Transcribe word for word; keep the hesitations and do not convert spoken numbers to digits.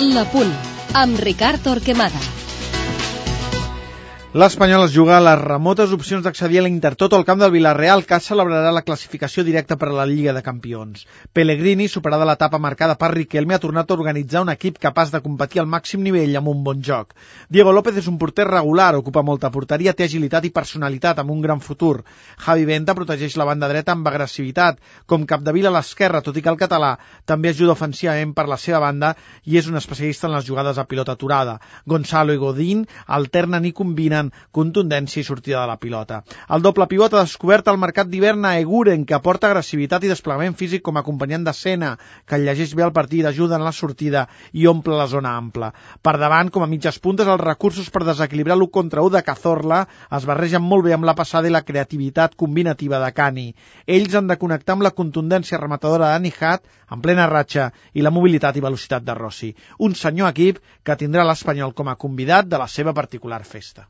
La Punt, amb Ricard Torquemada. L'Espanyol es juga a les remotes opcions d'accedir a l'Intertoto al camp del Villarreal, que celebrarà la classificació directa per a la Lliga de Campions. Pellegrini, superada l'etapa marcada per Riquelme, ha tornat a organitzar un equip capaç de competir al màxim nivell amb un bon joc. Diego López és un porter regular, ocupa molta porteria, té agilitat i personalitat amb un gran futur. Javi Benta protegeix la banda dreta amb agressivitat, com Capdevila a l'esquerra, tot i que el català també ajuda ofensivament per la seva banda i és un especialista en les jugades a pilota aturada. Gonzalo i Godín alternen i combinen contundència i sortida de la pilota. El doble pivot ha descobert al mercat d'hivern a Eguren, que aporta agressivitat i desplegament físic com a acompanyant de Sena, que llegeix bé el partit, ajuda en la sortida i omple la zona ampla. Per davant, com a mitges puntes, els recursos per desequilibrar l'u contra u de Cazorla es barregen molt bé amb la passada i la creativitat combinativa de Cani. Ells han de connectar amb la contundència rematadora de Nihat, en plena ratxa, i la mobilitat i velocitat de Rossi. Un senyor equip que tindrà l'Espanyol com a convidat de la seva particular festa.